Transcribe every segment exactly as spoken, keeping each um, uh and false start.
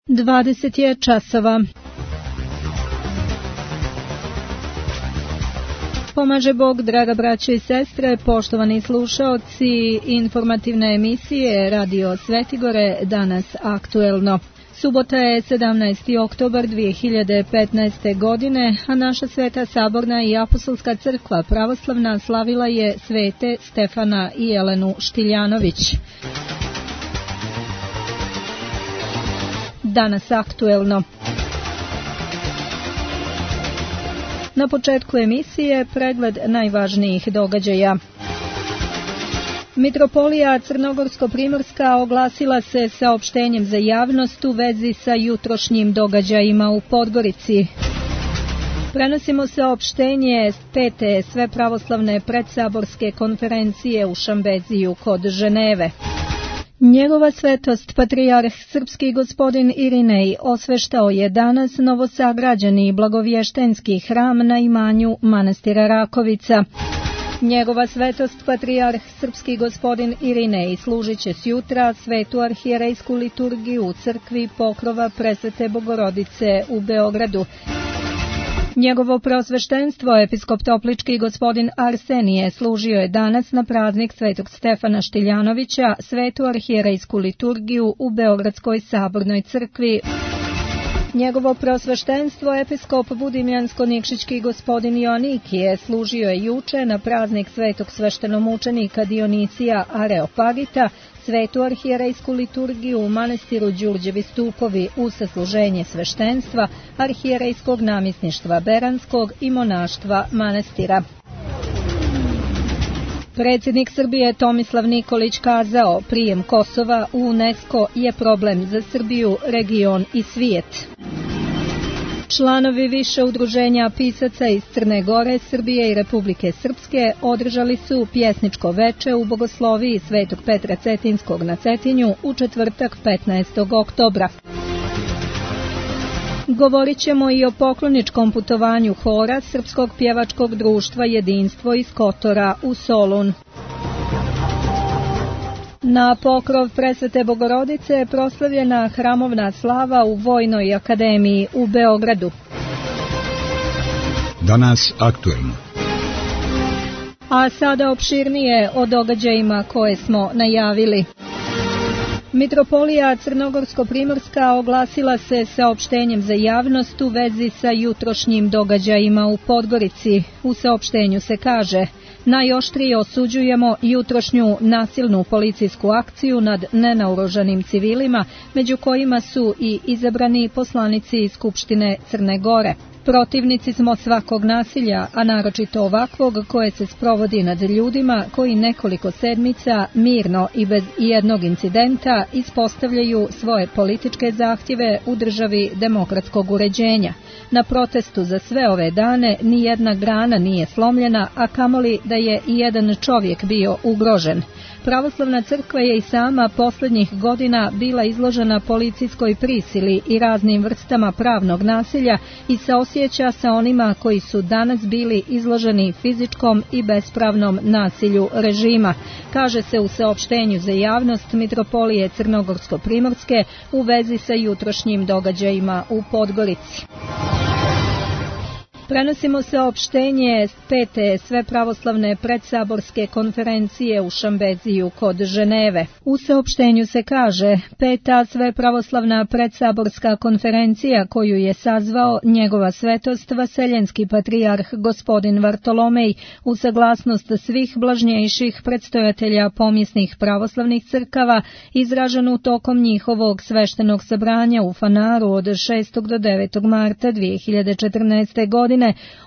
dvadeset je časova. Pomaže Bog, draga braće i sestre, poštovani slušaoci informativne emisije Radio Svetigore, danas aktuelno. Subota je sedamnaesti oktobar dvije hiljade petnaeste. godine, a naša Sveta Saborna i Apostolska crkva pravoslavna slavila je svete Stefana i Jelenu Štiljanović. Danas aktuelno. Na početku emisije pregled najvažnijih događaja. Mitropolija Crnogorsko-primorska oglasila se saopštenjem za javnost u vezi sa jutrošnjim događajima u Podgorici. Prenosimo saopštenje pete svepravoslavne predsaborske konferencije u Šambeziju kod Ženeve. Njegova svetost, patrijarh srpski gospodin Irinej, osveštao je danas novosagrađeni blagovještenski hram na imanju manastira Rakovica. Njegova svetost, patrijarh srpski gospodin Irinej, služit će sjutra svetu arhijerejsku liturgiju u crkvi Pokrova Presvete Bogorodice u Beogradu. Njegovo preosveštenstvo, episkop Toplički gospodin Arsenije, služio je danas na praznik svetog Stefana Štiljanovića svetu arhijerejsku liturgiju u Beogradskoj sabornoj crkvi. Njegovo preosveštenstvo, episkop Budimljansko-Nikšićki gospodin Joanikije, služio je juče na praznik svetog sveštenomučenika Dionicija Areopagita svetu arhijerejsku liturgiju u manastiru Đurđevi stupovi u sasluženje sveštenstva, arhijerejskog namjesništva Beranskog i monaštva manastira. Predsjednik Srbije Tomislav Nikolić kazao, prijem Kosova u UNESCO je problem za Srbiju, region i svijet. Članovi više udruženja pisaca iz Crne Gore, Srbije i Republike Srpske održali su pjesničko veče u bogosloviji Svetog Petra Cetinskog na Cetinju u četvrtak petnaestog oktobra. Govorit ćemo i o pokloničkom putovanju hora Srpskog pjevačkog društva Jedinstvo iz Kotora u Solun. Na pokrov Presvete Bogorodice proslavljena hramovna slava u Vojnoj akademiji u Beogradu. Danas aktuelno. A sada opširnije o događajima koje smo najavili. Mitropolija Crnogorsko-primorska oglasila se saopštenjem za javnost u vezi sa jutrošnjim događajima u Podgorici. U saopštenju se kaže: najoštrije osuđujemo jutrošnju nasilnu policijsku akciju nad nenaoružanim civilima, među kojima su i izabrani poslanici iz Skupštine Crne Gore. Protivnici smo svakog nasilja, a naročito ovakvog koje se sprovodi nad ljudima koji nekoliko sedmica mirno i bez jednog incidenta ispostavljaju svoje političke zahtjeve u državi demokratskog uređenja. Na protestu za sve ove dane ni jedna grana nije slomljena, a kamoli da je i jedan čovjek bio ugrožen. Pravoslavna crkva je i sama posljednjih godina bila izložena policijskoj prisili i raznim vrstama pravnog nasilja i saosjeća sa onima koji su danas bili izloženi fizičkom i bespravnom nasilju režima, kaže se u saopštenju za javnost Mitropolije Crnogorsko-primorske u vezi sa jutrošnjim događajima u Podgorici. Prenosimo saopštenje pete svepravoslavne predsaborske konferencije u Šambeziju kod Ženeve. U saopštenju se kaže: peta svepravoslavna predsaborska konferencija koju je sazvao njegova svetost Vaseljenski patrijarh gospodin Vartolomej u saglasnost svih blažnjejših predstojatelja pomjesnih pravoslavnih crkava, izraženu tokom njihovog sveštenog sabranja u Fanaru od šestog do devetog marta dvije hiljade četrnaeste. godine,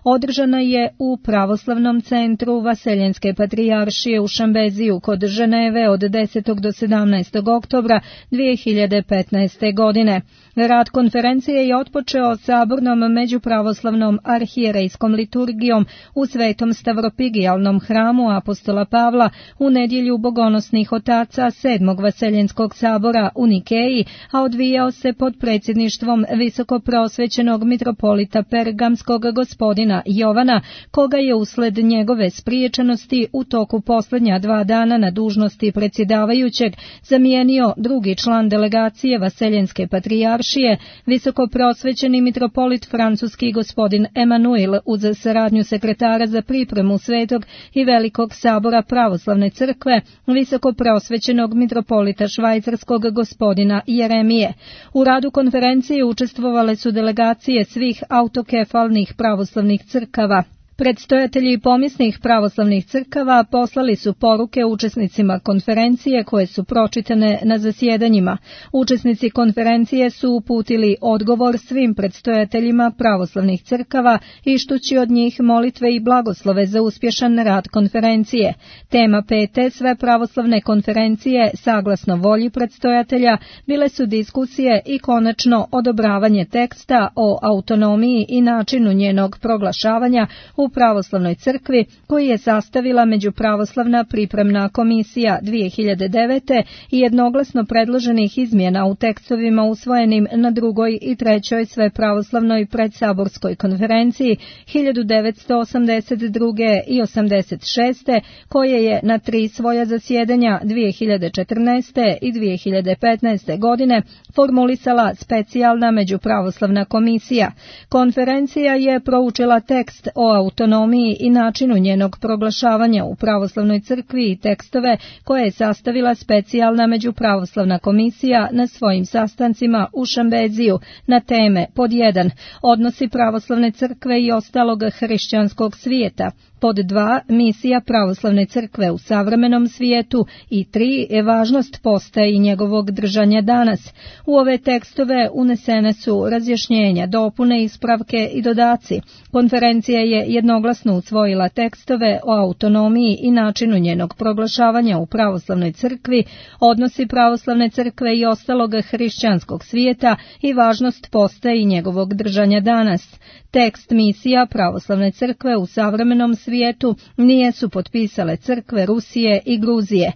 održana je u Pravoslavnom centru Vaseljenske patrijaršije u Šambeziju kod Ženeve od desetog do sedamnaestog oktobra dvije hiljade petnaeste. godine. Rad konferencije je otpočeo sabornom međupravoslavnom arhijerejskom liturgijom u Svetom Stavropigijalnom hramu apostola Pavla u nedjelju bogonosnih otaca sedmog Vaseljenskog sabora u Nikeji, a odvijao se pod predsjedništvom visokopreosvećenog mitropolita Pergamskog gospodina Jovana, koga je usled njegove spriječenosti u toku posljednja dva dana na dužnosti predsjedavajućeg zamijenio drugi član delegacije Vaseljenske patrijaršije, visokoprosvećeni mitropolit francuski gospodin Emanuel, uz saradnju sekretara za pripremu Svetog i Velikog sabora pravoslavne crkve, visokoprosvećenog mitropolita švajcarskog gospodina Jeremije. U radu konferencije učestvovale su delegacije svih autokefalnih pravoslavnih crkava. Predstojatelji pomisnih pravoslavnih crkava poslali su poruke učesnicima konferencije koje su pročitane na zasjedanjima. Učesnici konferencije su uputili odgovor svim predstojateljima pravoslavnih crkava ištući od njih molitve i blagoslove za uspješan rad konferencije. Tema pete sve pravoslavne konferencije, saglasno volji predstojatelja, bile su diskusije i konačno odobravanje teksta o autonomiji i načinu njenog proglašavanja u pravoslavnoj crkvi, koji je sastavila Međupravoslavna pripremna komisija dvije hiljade devete i jednoglasno predloženih izmjena u tekstovima usvojenim na drugoj i trećoj svepravoslavnoj predsaborskoj konferenciji hiljadu devetsto osamdeset druge i osamdeset šeste, koje je na tri svoja zasjedanja dvije hiljade četrnaeste i dvije hiljade petnaeste godine formulisala specijalna Međupravoslavna komisija. Konferencija je proučila tekst o autonomiji i načinu njenog proglašavanja u pravoslavnoj crkvi i tekstove koje je sastavila specijalna Međupravoslavna komisija na svojim sastancima u Šambeziju na teme pod jedan odnosi pravoslavne crkve i ostalog hrišćanskog svijeta, pod dva misija pravoslavne crkve u savremenom svijetu i tri je važnost posta i njegovog držanja danas. U ove tekstove unesene su razjašnjenja, dopune, ispravke i dodaci. Konferencija je jednoglasno usvojila tekstove o autonomiji i načinu njenog proglašavanja u pravoslavnoj crkvi, odnosi pravoslavne crkve i ostalog hrišćanskog svijeta i važnost posta i njegovog držanja danas. Tekst misija pravoslavne crkve u savremenom svijetu nije su potpisale crkve Rusije i Gruzije.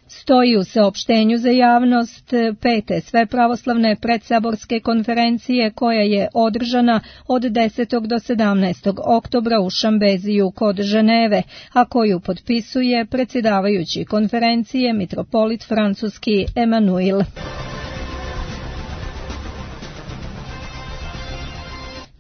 Stoji u saopštenju za javnost pete sve pravoslavne predsaborske konferencije koja je održana od desetog do sedamnaestog oktobra u Šambeziju kod Ženeve, a koju potpisuje predsjedavajući konferencije mitropolit francuski Emanuel.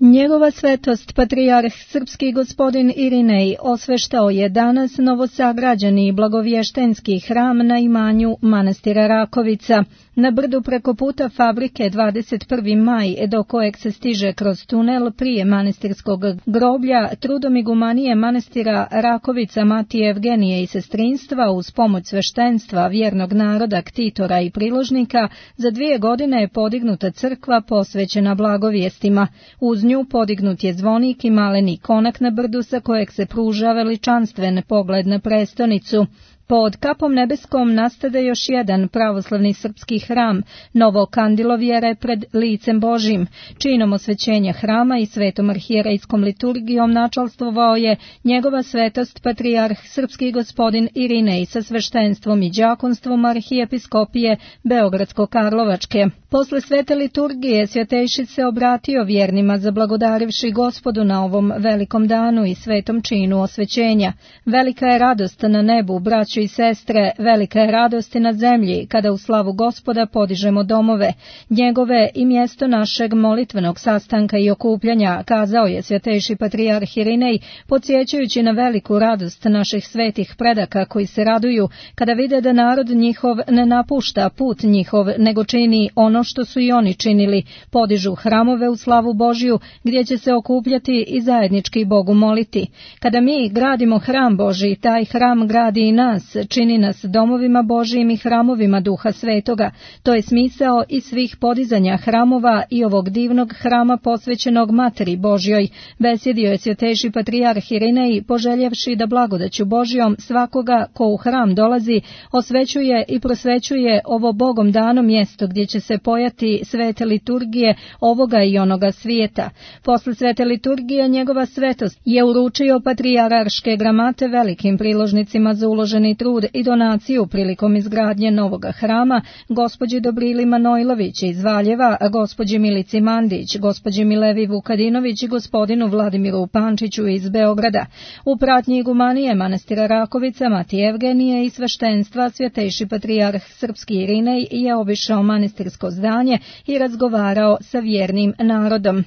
Njegova svetost patrijarh srpski gospodin Irinej osveštao je danas novosagrađeni i blagovještenski hram na imanju manastira Rakovica. Na brdu preko puta fabrike dvadeset prvi maj, do kojeg se stiže kroz tunel prije manastirskog groblja, trudom igumanije manastira Rakovica Matije Evgenije i sestrinstva uz pomoć sveštenstva vjernog naroda, ktitora i priložnika, za dvije godine je podignuta crkva posvećena blagovijestima. Uz nju podignut je zvonik i maleni konak na brdu sa kojeg se pruža veličanstven pogled na prestonicu. Pod kapom nebeskom nastade još jedan pravoslavni srpski hram, novo kandilo vjere pred licem Božim. Činom osvećenja hrama i svetom arhijerejskom liturgijom načalstvovao je njegova svetost patrijarh srpski gospodin Irinej sa sveštenstvom i đakonstvom arhijepiskopije Beogradsko-Karlovačke. Posle svete liturgije svjetejši se obratio vjernima zablagodarivši Gospodu na ovom velikom danu i svetom činu osvećenja. Velika je radost na nebu, braćo i sestre, velika je radost na zemlji kada u slavu Gospoda podižemo domove, njegove i mjesto našeg molitvenog sastanka i okupljanja, kazao je svjetejši patrijarh Irinej, podsjećajući na veliku radost naših svetih predaka koji se raduju kada vide da narod njihov ne napušta put njihov, nego čini ono što su i oni činili, podižu hramove u slavu Božju gdje će se okupljati i zajednički Bogu moliti. Kada mi gradimo hram Božji, taj hram gradi i nas, čini nas domovima Božjim i hramovima Duha Svetoga. To je smisao i svih podizanja hramova i ovog divnog hrama posvećenog Materi Božjoj, besjedio je svjetejši patrijarh Irinej, poželjevši da blagodaću Božjom svakoga ko u hram dolazi osvećuje i prosvećuje ovo Bogom dano mjesto gdje će se pojati svete liturgije ovoga i onoga svijeta. Posle svete liturgije njegova svetost je uručio patrijarške gramate velikim priložnicima za uloženi uloženi trud i donaciju prilikom izgradnje novog hrama gospođi Dobrili Manojlović iz Valjeva, gospođi Milici Mandić, gospođi Milevi Vukadinović i gospodinu Vladimiru Pančiću iz Beograda. U pratnji igumanije manastira Rakovica Matije Evgenije i sveštenstva Svjetejši patrijarh srpski Irinej je obišao manastirsko zdanje i razgovarao sa vjernim narodom.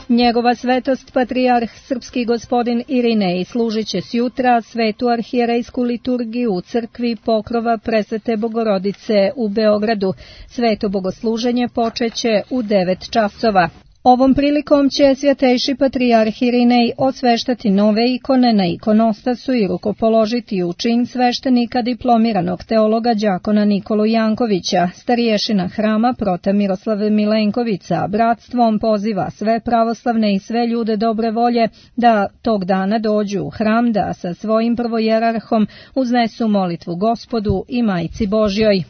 Njegova svetost patrijarh srpski gospodin Irinej služit će sjutra svetu arhijerejsku liturgiju u crkvi Pokrova Presvete Bogorodice u Beogradu. Sveto bogosluženje počeće u devet časova. Ovom prilikom će Svjetejši patrijarh Irinej osveštati nove ikone na ikonostasu i rukopoložiti u čin sveštenika diplomiranog teologa đakona Nikolu Jankovića. Stariješina hrama prote Miroslav Milenkovića bratstvom poziva sve pravoslavne i sve ljude dobre volje da tog dana dođu u hram da sa svojim prvojerarhom uznesu molitvu Gospodu i Majci Božjoj.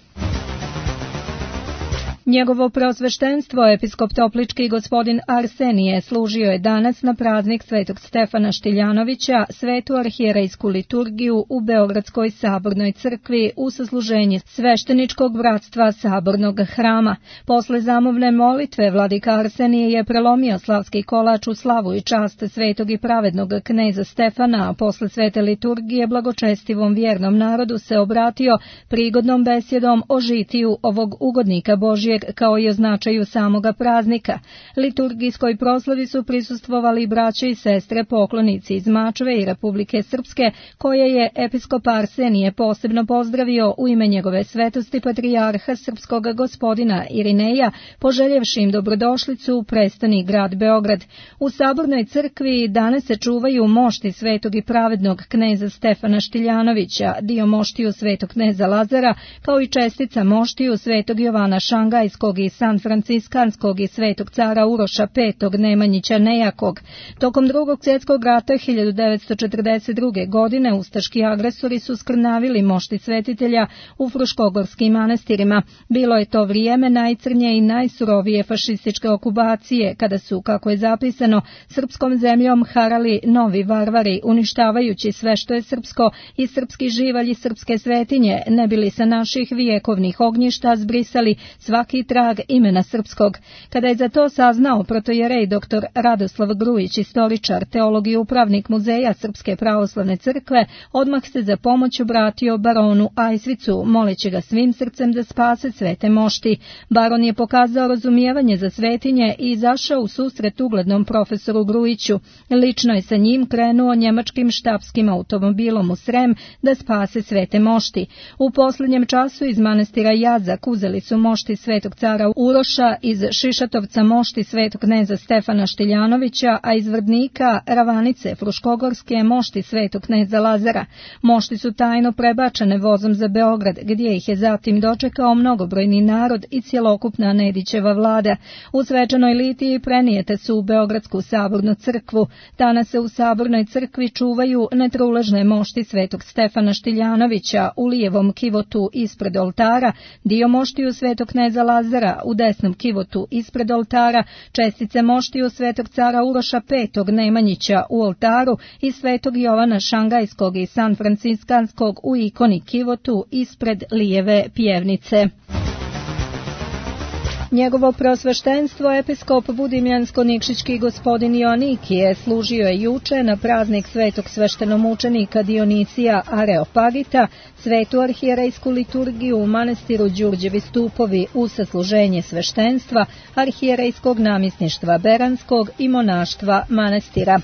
Njegovo preosveštenstvo, episkop Toplički gospodin Arsenije, služio je danas na praznik Svetog Stefana Štiljanovića svetu arhijerejsku liturgiju u Beogradskoj sabornoj crkvi u sasluženje svešteničkog bratstva sabornog hrama. Posle zamovne molitve vladika Arsenije je prelomio slavski kolač u slavu i čast svetog i pravednog kneza Stefana, a posle svete liturgije blagočestivom vjernom narodu se obratio prigodnom besjedom o žitiju ovog ugodnika Božjeg kao i o značaju samoga praznika. Liturgijskoj proslavi su prisustvovali braće i sestre poklonici iz Mačve i Republike Srpske, koje je episkop Arsenije posebno pozdravio u ime njegove svetosti patrijarha srpskog gospodina Irineja, poželjevši im dobrodošlicu u prestoni grad Beograd. U sabornoj crkvi danas se čuvaju mošti svetog i pravednog kneza Stefana Štiljanovića, dio moštiju svetog kneza Lazara, kao i čestica moštiju svetog Jovana Šangajskog i San Franciskanskog i svetog cara Uroša petog Nemanjića Nejakog. Tokom drugog svjetskog rata hiljadu devetsto četrdeset druge. godine ustaški agresori su skrnavili mošti svetitelja u fruškogorskim manastirima. Bilo je to vrijeme najcrnje i najsurovije fašističke okupacije, kada su, kako je zapisano, srpskom zemljom harali novi varvari, uništavajući sve što je srpsko i srpski živalj i srpske svetinje, ne bili sa naših vijekovnih ognjišta zbrisali svaki trag imena srpskog. Kada je za to saznao protojerej doktor Radoslav Grujić, istoričar, teolog i upravnik muzeja Srpske pravoslavne crkve, odmah se za pomoć obratio baronu Ajsvicu, moleći ga svim srcem da spase svete mošti. Baron je pokazao razumijevanje za svetinje i izašao u susret uglednom profesoru Grujiću. Lično je sa njim krenuo njemačkim štabskim automobilom u Srem da spase svete mošti. U posljednjem času iz manastira Jazak uzeli su mošti svetog cara Uroša, iz Šišatovca mošti svetog kneza Stefana Štiljanovića, a iz Vrdnika Ravanice Fruškogorske mošti svetog kneza Lazara. Mošti su tajno prebačene vozom za Beograd, gdje ih je zatim dočekao mnogobrojni narod i cjelokupna Nedićeva vlada. U svečanoj litiji prenijete su u Beogradsku sabornu crkvu. Danas se u sabornoj crkvi čuvaju netruležne mošti svetog Stefana Štiljanovića u lijevom kivotu ispred oltara, dio moštiju svetog kneza Lazara u desnom kivotu ispred oltara, čestice moštiju svetog cara Uroša petog Nemanjića u oltaru i svetog Jovana Šangajskog i San Franciskanskog u ikoni kivotu ispred lijeve pjevnice. Njegovo preosveštenstvo, episkop Budimljansko-Nikšićki gospodin Joannikije, služio je juče na praznik svetog sveštenomučenika Dionicija Areopagita, svetu arhijerejsku liturgiju u manastiru Đurđevi stupovi u sasluženje sveštenstva, arhijerejskog namjesništva Beranskog i monaštva manastira.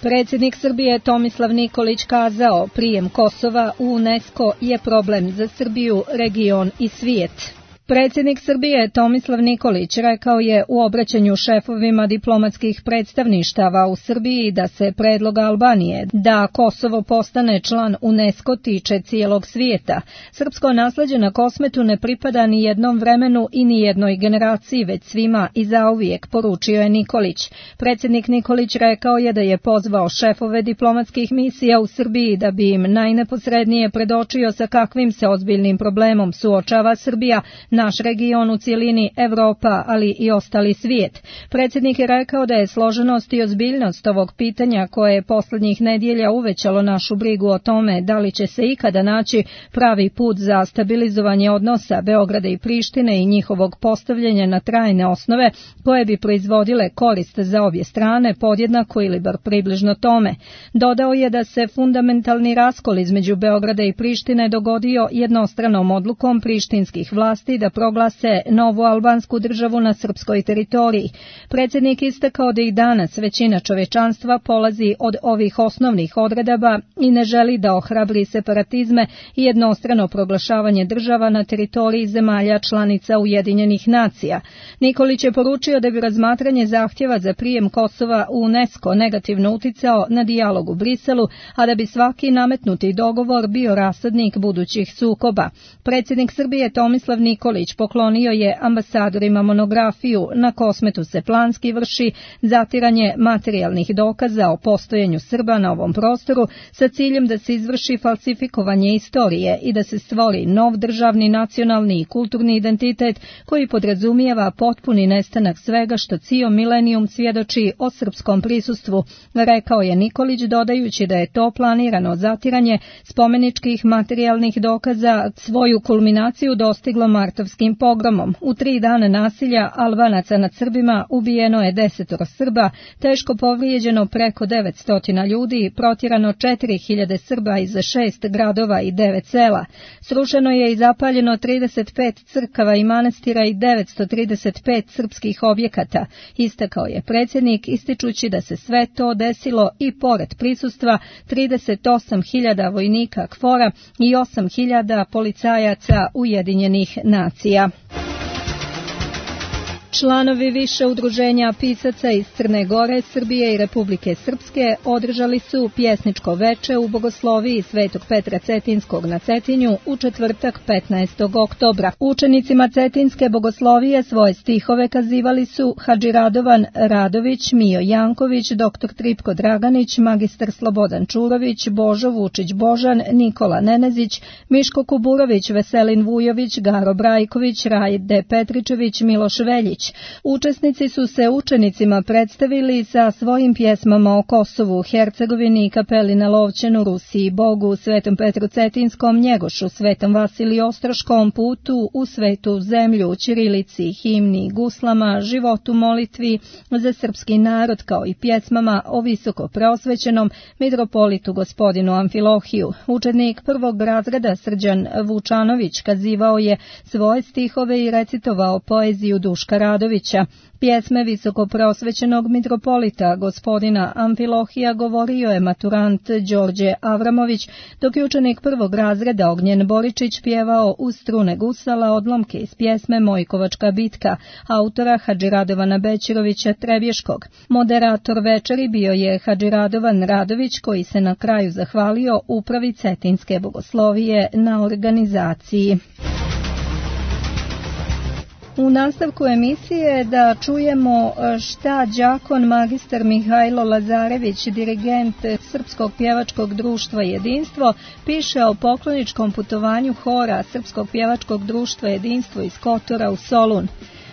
Predsjednik Srbije Tomislav Nikolić kazao, prijem Kosova u UNESCO je problem za Srbiju, region i svijet. Predsjednik Srbije Tomislav Nikolić rekao je u obraćanju šefovima diplomatskih predstavništava u Srbiji da se predlog Albanije da Kosovo postane član UNESCO tiče cijelog svijeta. Srpsko nasleđe na Kosmetu ne pripada ni jednom vremenu i ni jednoj generaciji, već svima i zauvijek, poručio je Nikolić. Predsjednik Nikolić rekao je da je pozvao šefove diplomatskih misija u Srbiji da bi im najneposrednije predočio sa kakvim se ozbiljnim problemom suočava Srbija naš region u cijelini, Evropa, ali i ostali svijet. Predsjednik je rekao da je složenost i ozbiljnost ovog pitanja koje je posljednjih nedjelja uvećalo našu brigu o tome da li će se ikada naći pravi put za stabilizovanje odnosa Beograda i Prištine i njihovog postavljanja na trajne osnove koje bi proizvodile korist za obje strane podjednako ili bar približno tome. Dodao je da se fundamentalni raskol između Beograda i Prištine dogodio jednostranom odlukom prištinskih vlasti da proglase novu albansku državu na srpskoj teritoriji. Predsjednik istakao da i danas većina čovječanstva polazi od ovih osnovnih odredaba i ne želi da ohrabri separatizme i jednostrano proglašavanje država na teritoriji zemalja članica Ujedinjenih nacija. Nikolić je poručio da bi razmatranje zahtjeva za prijem Kosova u UNESCO negativno uticao na dijalog u Briselu, a da bi svaki nametnuti dogovor bio rasadnik budućih sukoba. Predsjednik Srbije Tomislav Nikolić poklonio je ambasadorima monografiju Na Kosmetu se planski vrši zatiranje materijalnih dokaza o postojanju Srba na ovom prostoru sa ciljem da se izvrši falsifikovanje istorije i da se stvori nov državni, nacionalni i kulturni identitet koji podrazumijeva potpuni nestanak svega što cijel milenijum svjedoči o srpskom prisustvu, rekao je Nikolić, dodajući da je to planirano zatiranje spomeničkih materijalnih dokaza svoju kulminaciju dostiglo martovskim pogromom. U tri dana nasilja Albanaca nad Srbima ubijeno je desetoro Srba, teško povrijeđeno preko devetsto ljudi, protjerano četiri hiljade Srba iz šest gradova i devet sela. Srušeno je i zapaljeno trideset pet crkava i manastira i devetsto trideset pet srpskih objekata, istakao je predsjednik, ističući da se sve to desilo i pored prisustva trideset osam hiljada vojnika KFOR-a i osam hiljada policajaca Ujedinjenih nacija. Članovi više udruženja pisaca iz Crne Gore, Srbije i Republike Srpske održali su pjesničko veče u bogosloviji Svetog Petra Cetinskog na Cetinju u četvrtak petnaestog oktobra. Učenicima Cetinske bogoslovije svoje stihove kazivali su Hadži Radovan Radović, Mijo Janković, doktor Tripko Draganić, magistar Slobodan Čurović, Božo Vučić Božan, Nikola Nenezić, Miško Kuburović, Veselin Vujović, Garo Brajković, Rajde Petričević, Miloš Veljić. Učesnici su se učenicima predstavili sa svojim pjesmama o Kosovu, Hercegovini i kapeli na Lovćenu, Rusiji, Bogu, Svetom Petru Cetinskom, Njegošu, Svetom Vasiliju Ostroškom, putu u svetu zemlju, ćirilici, himni, guslama, životu, molitvi za srpski narod, kao i pjesmama o visoko preosvećenom mitropolitu gospodinu Amfilohiju. Učenik prvog razreda Srđan Vučanović kazivao je svoje stihove i recitovao poeziju Duška Radovića. Pjesme visoko preosvećenog mitropolita gospodina Amfilohija govorio je maturant Đorđe Avramović, dok je učenik prvog razreda Ognjen Boričić pjevao uz strune gusala odlomke iz pjesme Mojkovačka bitka, autora Hadži Radovana Bećirovića Trebješkog. Moderator večeri bio je Hadži Radovan Radović, koji se na kraju zahvalio upravi Cetinske bogoslovije na organizaciji. U nastavku emisije da čujemo šta đakon magistar Mihajlo Lazarević, dirigent Srpskog pjevačkog društva Jedinstvo, piše o pokloničkom putovanju hora Srpskog pjevačkog društva Jedinstvo iz Kotora u Solun.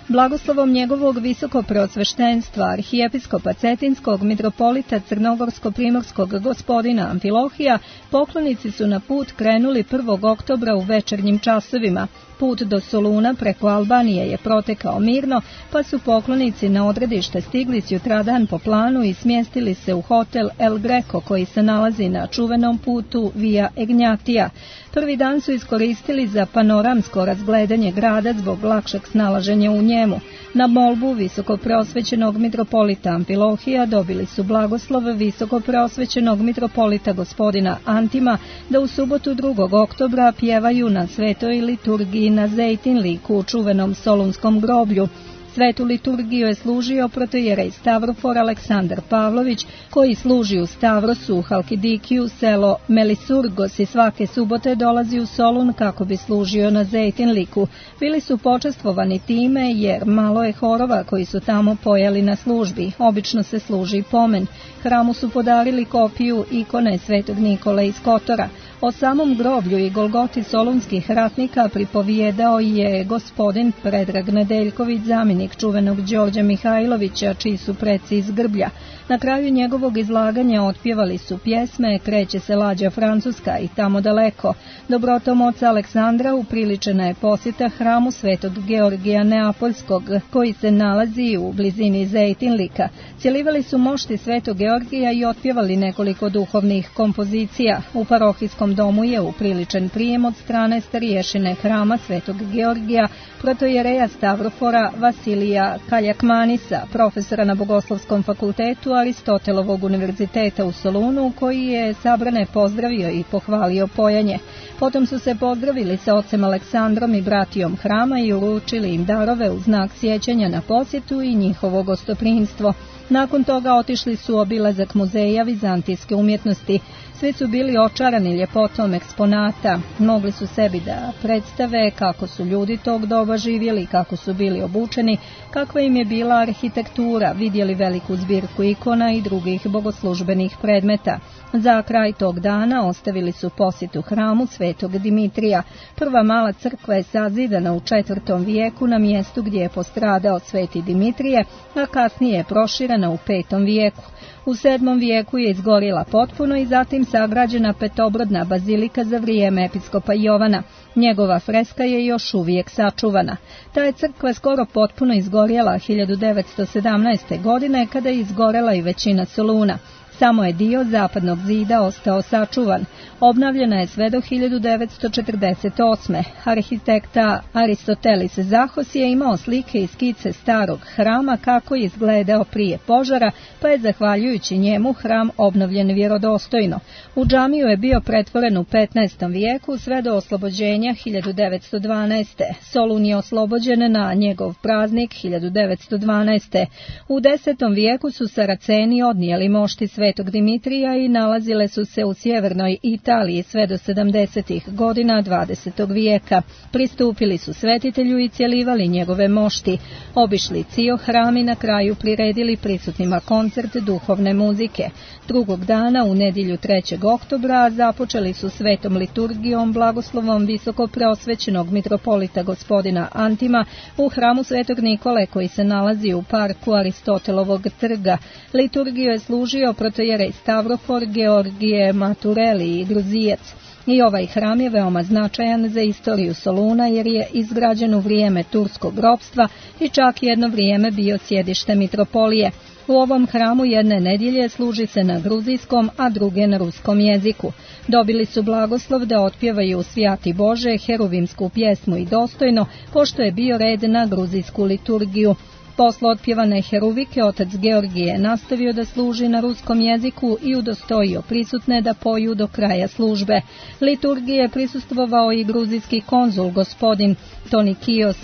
Blagoslovom njegovog visoko preosveštenstva arhijepiskopa Cetinskog mitropolita Crnogorsko-primorskog gospodina Amfilohija, poklonici su na put krenuli prvog oktobra u večernjim časovima. Put do Soluna preko Albanije je protekao mirno, pa su poklonici na odredište stigli sutradan po planu i smjestili se u hotel El Greco koji se nalazi na čuvenom putu Via Egnjatija. Prvi dan su iskoristili za panoramsko razgledanje grada zbog lakšeg snalaženja u njemu. Na molbu visoko preosvećenog mitropolita Amfilohija dobili su blagoslov visoko preosvećenog mitropolita gospodina Antima da u subotu drugog oktobra pjevaju na svetoj liturgiji na Zejtinliku u čuvenom Solunskom groblju. Svetu liturgiju je služio protojerej Stavrofor Aleksandar Pavlović, koji služi u Stavrosu u Halkidikiju, selo Melisurgos, i svake subote dolazi u Solun kako bi služio na Zejtinliku. Bili su počastvovani time jer malo je horova koji su tamo pojeli na službi. Obično se služi pomen. Hramu su podarili kopiju ikone Svetog Nikole iz Kotora. O samom groblju i Golgoti solunskih ratnika pripovijedao je gospodin Predrag Nedeljković, zamjenik čuvenog Đorđa Mihajlovića, čiji su preci iz Grblja. Na kraju njegovog izlaganja otpjevali su pjesme Kreće se lađa Francuska i Tamo daleko. Dobrotom oca Aleksandra upriličena je posjeta hramu Svetog Georgija Neapoljskog, koji se nalazi u blizini Zejtinlika. Cjelivali su mošti Svetog Georgija i otpjevali nekoliko duhovnih kompozicija. U parohijskom domu je upriličen prijem od strane starješine hrama Svetog Georgija, protojereja Stavrofora Vasilija Kaljakmanisa, profesora na Bogoslovskom fakultetu Aristotelovog univerziteta u Solunu, koji je sabrane pozdravio i pohvalio pojanje. Potom su se pozdravili sa ocem Aleksandrom i bratijom hrama i uručili im darove u znak sjećanja na posjetu i njihovo gostoprimstvo. Nakon toga otišli su obilazak muzeja vizantijske umjetnosti. Svi su bili očarani ljepotom eksponata. Mogli su sebi da predstave kako su ljudi tog doba živjeli, kako su bili obučeni, kakva im je bila arhitektura, vidjeli veliku zbirku ikona i drugih bogoslužbenih predmeta. Za kraj tog dana ostavili su posjetu hramu Svetog Dimitrija. Prva mala crkva je sazidana u četvrtom vijeku na mjestu gdje je postradao Sveti Dimitrije, a kasnije je proširena u petom vijeku. U sedmom vijeku je izgorila potpuno i zatim sagrađena petobrodna bazilika za vrijeme episkopa Jovana. Njegova freska je još uvijek sačuvana. Ta je crkva skoro potpuno izgorjela hiljadu devetsto sedamnaeste. godine kada je izgorela i većina Soluna. Samo je dio zapadnog zida ostao sačuvan. Obnavljena je sve do hiljadu devetsto četrdeset osme. Arhitekta Aristotelis Zahos je imao slike i skice starog hrama kako je izgledao prije požara, pa je zahvaljujući njemu hram obnovljen vjerodostojno. U džamiju je bio pretvoren u petnaestom vijeku sve do oslobođenja hiljadu devetsto dvanaeste. Solun je oslobođen na njegov praznik hiljadu devetsto dvanaeste. U desetom vijeku su Saraceni odnijeli mošti Svetog Dimitrija i nalazile su se u sjevernoj Italiji sve do sedamdesetih godina dvadesetog vijeka. Pristupili su svetitelju i cjelivali njegove mošti. Obišli cijel hram i na kraju priredili prisutnima koncert duhovne muzike. Drugog dana, u nedjelju trećeg oktobra, započeli su svetom liturgijom blagoslovom visoko preosvećenog mitropolita gospodina Antima u hramu Svetog Nikole, koji se nalazi u parku Aristotelovog trga. Liturgiju je služio protojerej Stavrofor Georgije Matureli i Gruzijac. I ovaj hram je veoma značajan za istoriju Soluna jer je izgrađen u vrijeme turskog ropstva i čak jedno vrijeme bio sjedište mitropolije. U ovom hramu jedne nedjelje služi se na gruzijskom, a druge na ruskom jeziku. Dobili su blagoslov da otpjevaju Svjati Bože, heruvimsku pjesmu i dostojno, pošto je bio red na gruzijsku liturgiju. Posle otpjevane heruvike otac Georgije je nastavio da služi na ruskom jeziku i udostojio prisutne da poju do kraja službe. Liturgije je prisustvovao i gruzijski konzul gospodin Tonikios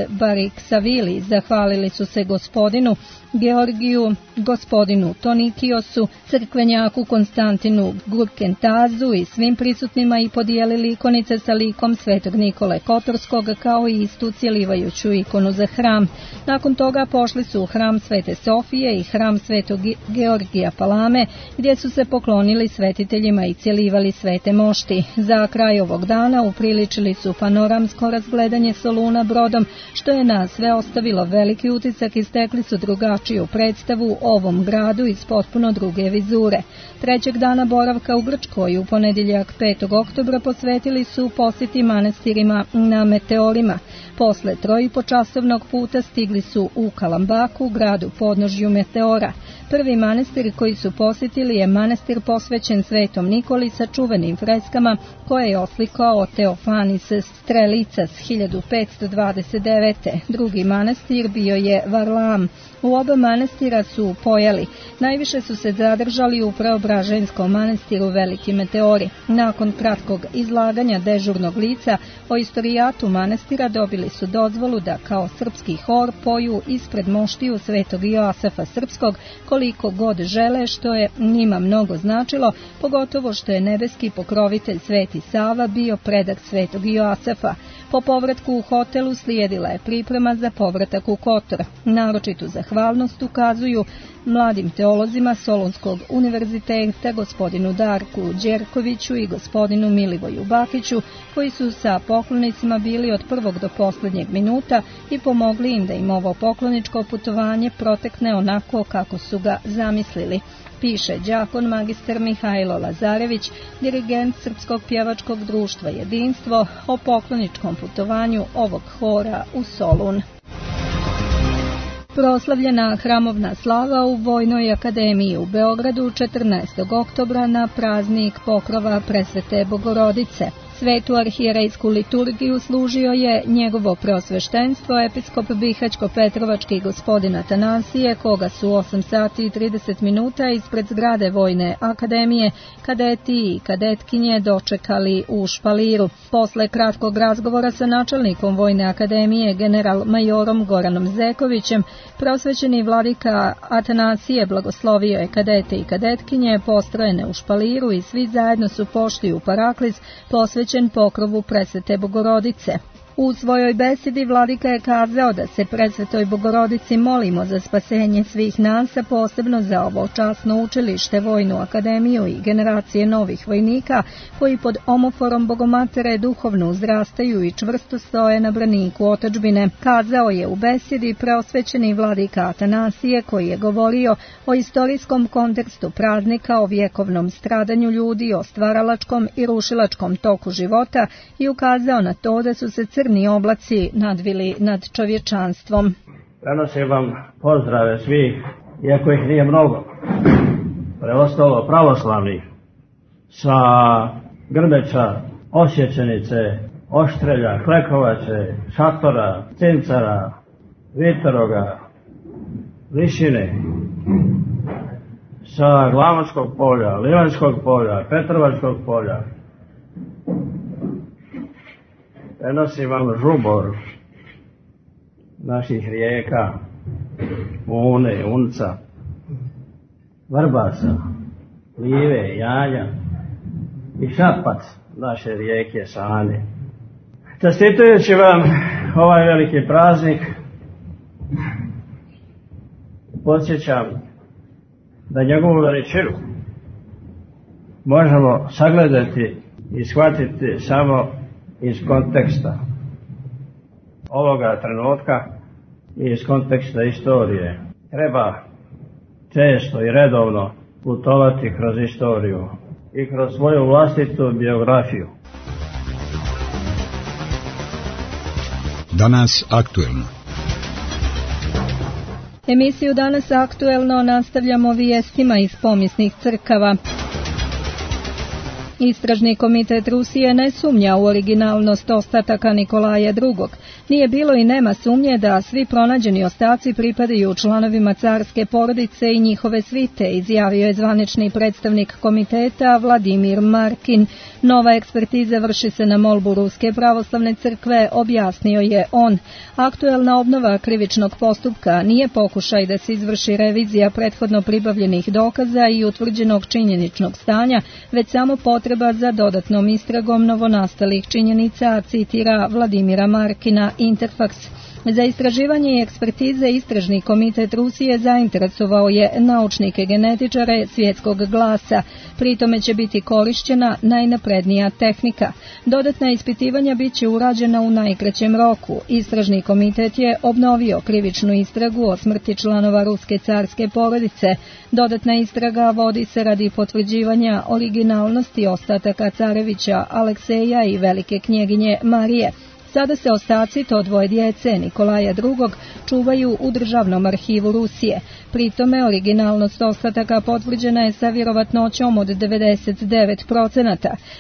Bariksavili. Zahvalili su se gospodinu Georgiju, gospodinu Tonikiosu, crkvenjaku Konstantinu Gurkentazu i svim prisutnima i podijelili ikonice sa likom Svetog Nikole Kotorskog kao i istu cjelivajuću ikonu za hram. Nakon toga pošli su u hram Svete Sofije i hram Svetog Georgija Palame, gdje su se poklonili svetiteljima i cjelivali svete mošti. Za kraj ovog dana upriličili su panoramsko razgledanje Soluna brodom, što je na sve ostavilo veliki utisak i stekli su drugačiju predstavu o ovom gradu iz potpuno druge vizure. Trećeg dana boravka u Grčkoj u ponedjeljak petog oktobra posvetili su posjeti manastirima na Meteorima. Posle trojipočasovnog puta stigli su u Kalambaku, gradu podnožju Meteora. Prvi manastir koji su posjetili je manastir posvećen Svetom Nikoli sa čuvenim freskama koje je oslikao Teofanis Strelicas hiljadu petsto dvadeset devete. Drugi manastir bio je Varlam. U oba manastira su pojeli. Najviše su se zadržali u Preobraženskom manastiru Veliki Meteori. Nakon kratkog izlaganja dežurnog lica o istorijatu manastira dobili su dozvolu da kao srpski hor poju ispred moštiju Svetog Joasefa Srpskog koliko god žele, što je njima mnogo značilo, pogotovo što je nebeski pokrovitelj Sveti Sava bio predak Svetog Joasefa. Po povratku u hotelu slijedila je priprema za povratak u Kotor. Naročitu zahvalnost ukazuju mladim teolozima Solunskog univerziteta, gospodinu Darku Đerkoviću i gospodinu Milivoju Bakiću, koji su sa poklonicima bili od prvog do posljednjeg minuta i pomogli im da im ovo pokloničko putovanje protekne onako kako su ga zamislili, piše đakon magistar Mihajlo Lazarević, dirigent Srpskog pjevačkog društva Jedinstvo, o pokloničkom putovanju ovog hora u Solun. Proslavljena hramovna slava u Vojnoj akademiji u Beogradu četrnaestog oktobra na praznik pokrova Presvete Bogorodice. Svetu arhijerejsku liturgiju služio je njegovo preosveštenstvo episkop Bihaćko-Petrovački gospodin Atanasije, koga su osam sati i trideset minuta ispred zgrade Vojne akademije kadeti i kadetkinje dočekali u špaliru. Posle kratkog razgovora sa načelnikom Vojne akademije general majorom Goranom Zekovićem, preosvećeni vladika Atanasije blagoslovio je kadete i kadetkinje postrojene u špaliru i svi zajedno su pošli u paraklis posvećen pokrovu Presvete Bogorodice. U svojoj besedi vladika je kazao da se Presvetoj Bogorodici molimo za spasenje svih nas, a posebno za ovo časno učilište, Vojnu akademiju i generacije novih vojnika koji pod omoforom Bogomatere duhovno uzrastaju i čvrsto stoje na braniku otadžbine, kazao je u besedi preosvećeni vladika Atanasije, koji je govorio o istorijskom kontekstu praznika, o vjekovnom stradanju ljudi, o stvaralačkom i rušilačkom toku života i ukazao na to da su se crni oblaci nadvili nad čovječanstvom. Prenosim vam pozdrave svih, iako ih nije mnogo, preostalo pravoslavnih, sa Grmeča, Osjećenice, Oštrelja, Klekovače, Šatora, Cincara, Vitoroga, Višine, sa Glamočkog polja, Livanjskog polja, Petrovačkog polja. Prenosim vam žubor naših rijeka, Une, Unca, Vrbasa, Live, Janja i Šapac naše rijeke Sane. Čestitujući vam ovaj veliki praznik, podsjećam da njegovu veličinu možemo sagledati i shvatiti samo iz konteksta ovoga trenutka i iz konteksta istorije. Treba često i redovno putovati kroz istoriju i kroz svoju vlastitu biografiju. Danas aktuelno. Emisiju Danas aktuelno nastavljamo vijestima iz pomisnih crkava. Istražni komitet Rusije ne sumnja u originalnost ostataka Nikolaja drugog. Nije bilo i nema sumnje da svi pronađeni ostaci pripadaju članovima carske porodice i njihove svite, izjavio je zvanični predstavnik komiteta Vladimir Markin. Nova ekspertiza vrši se na molbu Ruske pravoslavne crkve, objasnio je on. Aktuelna obnova krivičnog postupka nije pokušaj da se izvrši revizija prethodno pribavljenih dokaza i utvrđenog činjeničnog stanja, već samo potreba za dodatnom istragom novonastalih činjenica, citira Vladimira Markina Interfax. Za istraživanje i ekspertize Istražni komitet Rusije zainteresovao je naučnike genetičare svjetskog glasa. Pritome će biti korišćena najnaprednija tehnika. Dodatna ispitivanja bit će urađena u najkraćem roku. Istražni komitet je obnovio krivičnu istragu o smrti članova ruske carske porodice. Dodatna istraga vodi se radi potvrđivanja originalnosti ostataka carevića Alekseja i velike knjeginje Marije. Sada se ostaci to dvoje djece Nikolaja drugog čuvaju u Državnom arhivu Rusije. Pritome originalnost ostataka potvrđena je sa vjerovatnoćom od devedeset devet posto.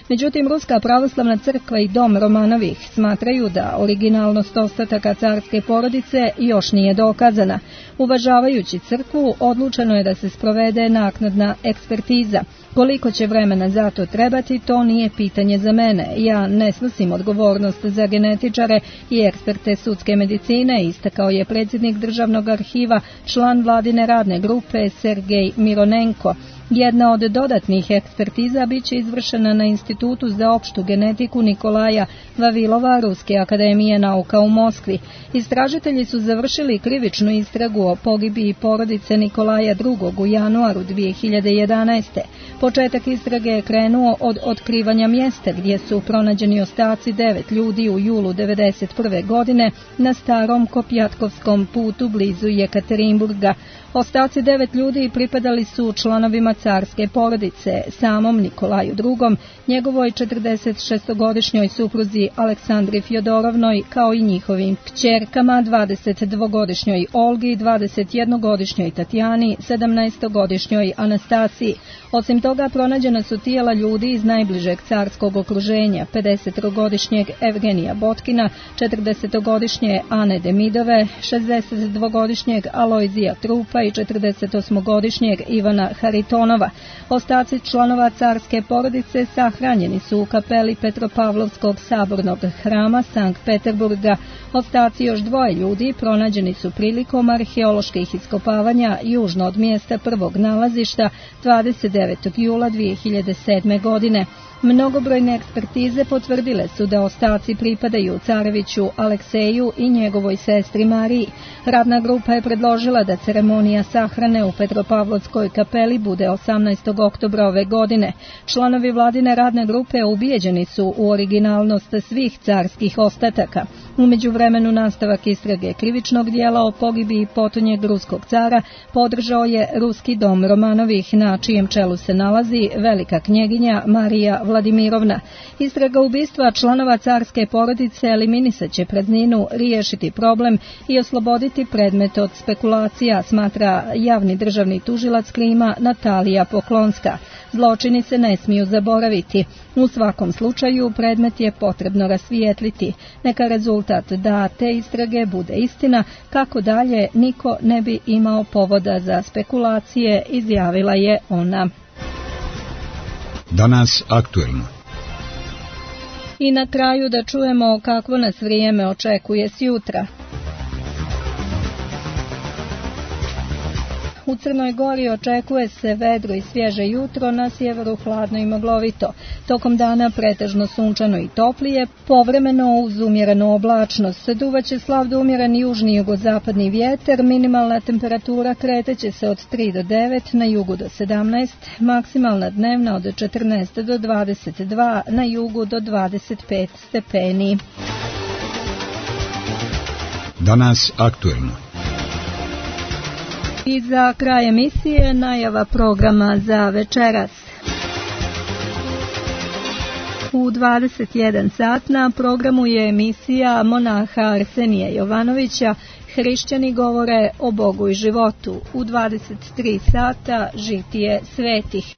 Međutim, Ruska pravoslavna crkva i dom Romanovih smatraju da originalnost ostataka carske porodice još nije dokazana. Uvažavajući crkvu, odlučeno je da se sprovede naknadna ekspertiza. Koliko će vremena za to trebati, to nije pitanje za mene. Ja ne snosim odgovornost za genetičare i eksperte sudske medicine, istakao je predsjednik Državnog arhiva, član vladine radne grupe Sergej Mironenko. Jedna od dodatnih ekspertiza biće izvršena na Institutu za opštu genetiku Nikolaja Vavilova Ruske akademije nauka u Moskvi. Istražitelji su završili krivičnu istragu o pogibiji porodice Nikolaja drugog u januaru dvije hiljade jedanaeste. Početak istrage je krenuo od otkrivanja mjesta gdje su pronađeni ostaci devet ljudi u julu devedeset prve godine na starom Kopjatkovskom putu blizu Jekaterinburga. Ostaci devet ljudi pripadali su članovima carske porodice, samom Nikolaju drugom, njegovoj četrdesetšestogodišnjoj supruzi Aleksandri Fjodorovnoj, kao i njihovim kćerkama, dvadesetdvogodišnjoj Olgi, dvadesetjednogodišnjoj Tatjani, sedamnaestogodišnjoj Anastasiji. Osim toga, pronađena su tijela ljudi iz najbližeg carskog okruženja, pedesetogodišnjeg Evgenija Botkina, četrdesetogodišnje Ane Demidove, šezdesetdvogodišnjeg Alojzija Trupa i četrdesetosmogodišnjeg Ivana Haritonova. Ostaci članova carske porodice sahranjeni su u kapeli Petropavlovskog sabornog hrama Sankt Peterburga. Ostaci još dvoje ljudi pronađeni su prilikom arheoloških iskopavanja južno od mjesta prvog nalazišta dvadeset devetog jula dvije hiljade sedme. godine. Mnogobrojne ekspertize potvrdile su da ostaci pripadaju careviću Alekseju i njegovoj sestri Mariji. Radna grupa je predložila da ceremonija sahrane u Petropavlovskoj kapeli bude osamnaestog oktobra ove godine. Članovi vladine radne grupe ubijeđeni su u originalnost svih carskih ostataka. U međuvremenu nastavak istrage krivičnog dijela o pogibiji potonjeg ruskog cara podržao je Ruski dom Romanovih, na čijem čelu se nalazi velika knjeginja Marija Vladimirovna. Istraga ubistva članova carske porodice eliminisat će prazninu, riješiti problem i osloboditi predmet od spekulacija, smatra javni državni tužilac Krima Natalija Poklonska. Zločini se ne smiju zaboraviti. U svakom slučaju predmet je potrebno rasvijetliti. Neka rezultat da te istrage bude istina, kako dalje niko ne bi imao povoda za spekulacije, izjavila je ona. Danas aktuelno. I na kraju da čujemo kakvo nas vrijeme očekuje sjutra. U Crnoj Gori očekuje se vedro i svježe jutro, na sjeveru hladno i maglovito. Tokom dana pretežno sunčano i toplije, povremeno uz umjerenu oblačnost. Duvaće slab do umjeren južni i jugozapadni vjetar, minimalna temperatura kreteće se od tri do devet, na jugu do sedamnaest, maksimalna dnevna od četrnaest do dvadeset dva, na jugu do dvadeset pet stepeni. Danas aktuelno. I za kraj emisije najava programa za večeras. U dvadeset jedan sat na programu je emisija monaha Arsenija Jovanovića Hrišćani govore o Bogu i životu. U dvadeset tri sata žitije svetih.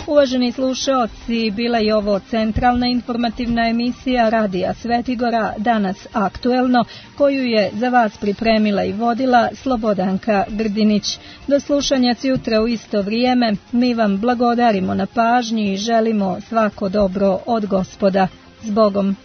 Uvaženi slušaoci, bila je ovo centralna informativna emisija Radija Svetigora, danas aktuelno, koju je za vas pripremila i vodila Slobodanka Grdinić. Do slušanja sutra u isto vrijeme, mi vam blagodarimo na pažnji i želimo svako dobro od Gospoda. S Bogom!